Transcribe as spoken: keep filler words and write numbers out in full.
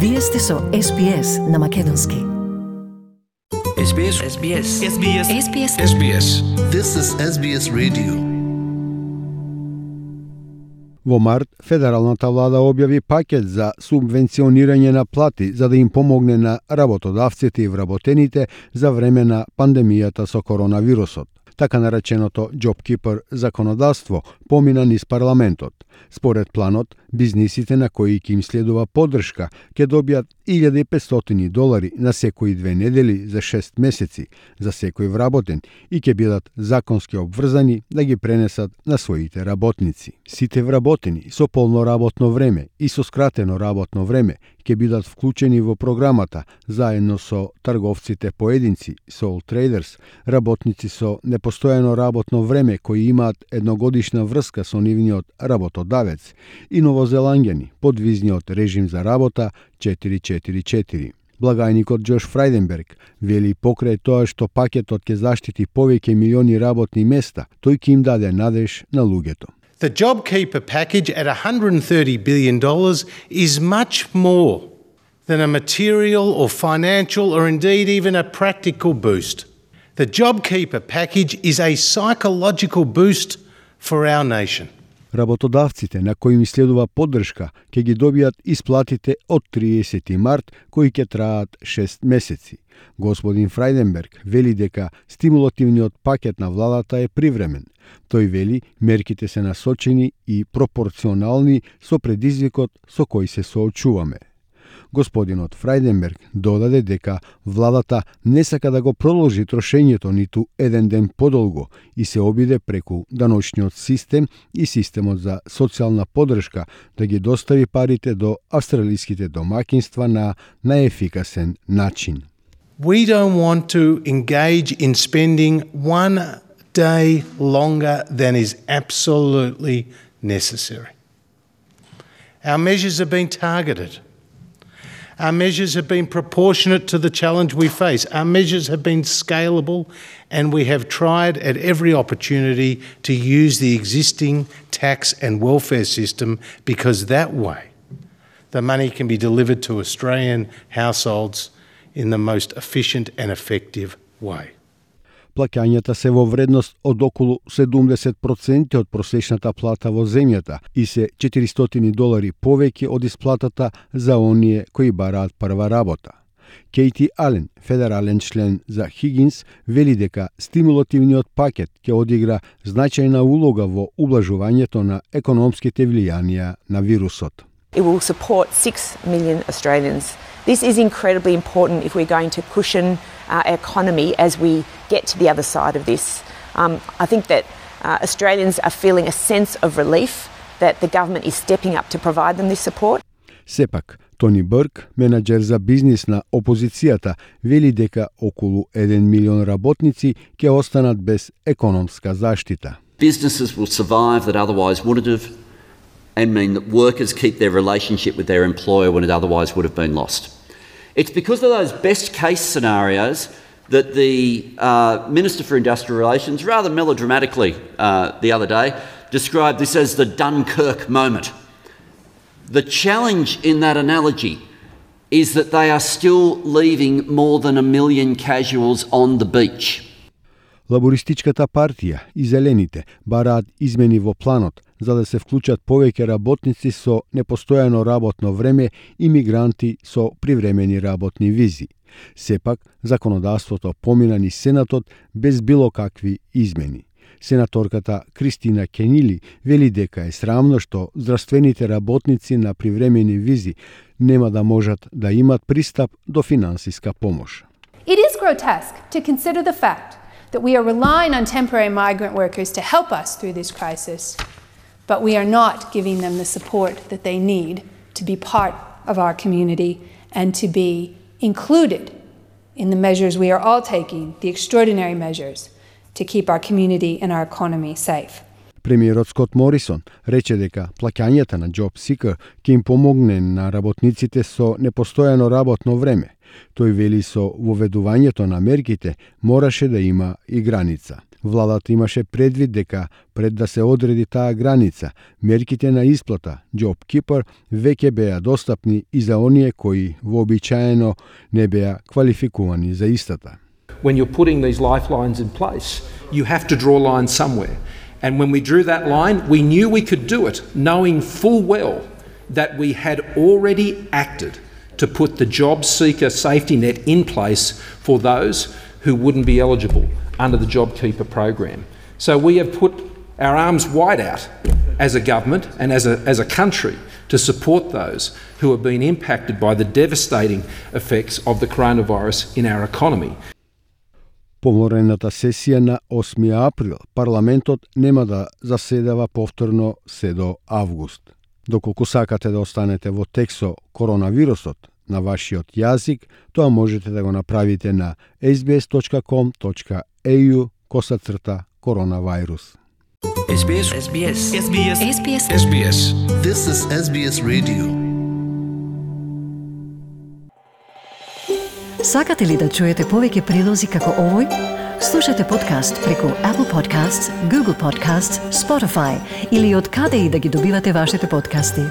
Вие сте со Ес Би Ес на македонски. Ес Би Ес. Ес Би Ес. Ес Би Ес. Ес Би Ес. Ес Би Ес. This is Ес Би Ес Radio. Во март, федералната влада објави пакет за субвенционирање на плати за да им помогне на работодавците и вработените за време на пандемијата со коронавирусот. Така нареченото JobKeeper законодавство помина низ парламентот. Според планот, бизнисите на кои ќе им следува поддршка ќе добијат илјада и петстотини долари на секои две недели за шест месеци за секој вработен и ќе бидат законски обврзани да ги пренесат на своите работници. Сите вработени со полно работно време и со скратено работно време ќе бидат вклучени во програмата заедно со трговците поединци, sole traders, работници со непостојано работно време кои имаат едногодишна врска со нивниот работодавец и новозеланѓани под визниот режим за работа четири четири четири. Благајникот Џош Фрајденберг вели покрај тоа што пакетот ќе заштити повеќе милиони работни места, тој ќе им даде надеж на луѓето. The JobKeeper package at one hundred thirty billion dollars is much more than a material or financial or indeed even a practical boost. The JobKeeper package is a psychological boost for our nation. Работодавците на кои им следува поддршка ќе ги добијат исплатите од триесети март, кои ќе траат шест месеци. Господин Фрајденберг вели дека стимулативниот пакет на владата е привремен. Тој вели мерките се насочени и пропорционални со предизвикот со кој се соочуваме. Господинот Фрајденберг додаде дека владата не сака да го продолжи трошењето ниту еден ден подолго и се обиде преку даночниот систем и системот за социјална поддршка да ги достави парите до австралиските домаќинства на наефикасен начин. We don't want to engage in spending one day longer than is absolutely necessary. Our measures have been targeted. Our measures have been proportionate to the challenge we face. Our measures have been scalable, and we have tried at every opportunity to use the existing tax and welfare system because that way the money can be delivered to Australian households in the most efficient and effective way. Плаќањата се во вредност од околу седумдесет проценти од просечната плата во земјата и се четиристотини долари повеќе од исплатата за оние кои бараат прва работа. Кейти Ален, федерален член за Хигинс, вели дека стимулативниот пакет ќе одигра значајна улога во ублажувањето на економските влијанија на вирусот. It will support six million Australians. This is incredibly important if we're going to cushion our economy as we get to the other side of this. Um, I think that uh, Australians are feeling a sense of relief that the government is stepping up to provide them this support. Сепак, Тони Бърк, менеджер за бизнис на опозицијата, вели дека околу еден милион работници ќе останат без економска заштита. Businesses will survive that otherwise wouldn't have, and mean that workers keep their relationship with their employer when it otherwise would have been lost. It's because of those best case scenarios that the uh, Minister for Industrial Relations, rather melodramatically uh, the other day, described this as the Dunkirk moment. The challenge in that analogy is that they are still leaving more than a million casuals on the beach. Лабористичката партија и Зелените бараат измени во планот за да се вклучат повеќе работници со непостојано работно време и мигранти со привремени работни визи. Сепак, законодавството помина низ Сенатот без било какви измени. Сенаторката Кристина Кенили вели дека е срамно што здравствените работници на привремени визи нема да можат да имат пристап до финансиска помош. It is grotesque to consider the fact that we are relying on temporary migrant workers to help us through this crisis, but we are not giving them the support that they need to be part of our community and to be included in the measures we are all taking, the extraordinary measures, to keep our community and our economy safe. Премиерот Скот Морисон рече дека плаќањата на JobSeeker ќе им помогне на работниците со непостојано работно време. Тој вели со воведувањето на мерките мораше да има и граница. Владата имаше предвид дека пред да се одреди таа граница, мерките на исплата JobKeeper веќе беа достапни и за оние кои вообичаено не беа квалификувани за истата. When you're putting these lifelines in place, you have to draw lines somewhere. And when we drew that line, we knew we could do it, knowing full well that we had already acted to put the job seeker safety net in place for those who wouldn't be eligible under the JobKeeper program. So we have put our arms wide out as a government and as a, as a country to support those who have been impacted by the devastating effects of the coronavirus in our economy. Поморената сесија на осми април парламентот нема да заседава повторно се до август. Доколку сакате да останете во текст со коронавирусот на вашиот јазик, тоа можете да го направите на sbs.com.au косацрта коронавирус. SBS SBS SBS SBS SBS This is S B S Radio. Сакате ли да чуете повеќе прилози како овој? Слушате подкаст преку Apple Podcasts, Google Podcasts, Spotify или од каде и да ги добивате вашите подкасти.